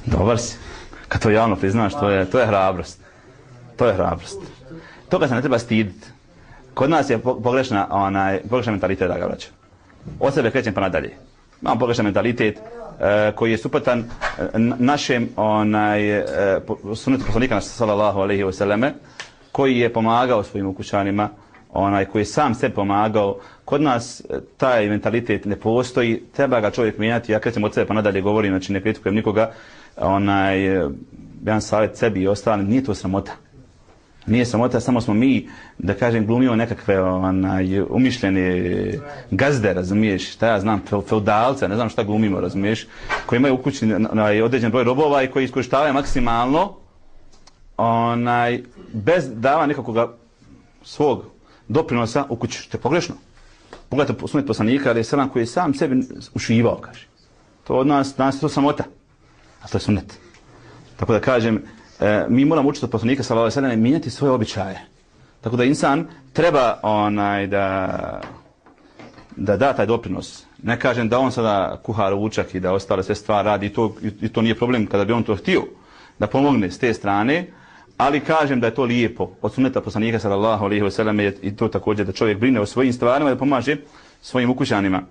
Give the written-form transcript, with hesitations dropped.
Dobar si. Kad to javno priznaš, to je hrabrost. To je hrabrost. Toga se ne treba stiditi. Kod nas je pogrešan mentalitet, da ga vraćam. Od sebe krećem pa nadalje. Imam pogrešan mentalitet koji je suprotan našem sunnetu poslanika sallallahu alejhi ve selleme, koji je pomagao svojim ukućanima, koji je sam sebi pomagao. Kod nas taj mentalitet ne postoji, treba ga čovjek mijenjati. Ja krećem od sebe pa nadalje govorim, znači ne kritikujem nikoga. Jedan savjet sebi i ostalim, nije to sramota. Nije sramota, samo smo mi, da kažem, glumimo nekakve umišljene gazde, razumiješ, šta ja znam, feudalce, ne znam šta glumimo, razumiješ, koji imaju u kući određen broj robova i koji iskorištavaju maksimalno, bez dava nekakvog svog doprinosa u kući, što je pogrešno. Pogledajte sunnet poslanika, ali je selam koji je sam sebi ušivao, kaže. To od nas je to sramota, a to je sunnet. Tako da kažem, mi moramo učiti od poslanika sallallahu alejhi ve sellem mijenjati svoje običaje. Tako da insan treba da taj doprinos. Ne kažem da on sada kuha ručak i da ostale sve stvari radi i to nije problem kada bi on to htio da pomogne s te strane, ali kažem da je to lijepo od sunneta poslanika sallallahu alejhi ve sellem i to također da čovjek brine o svojim stvarima i da pomaže svojim ukućanima.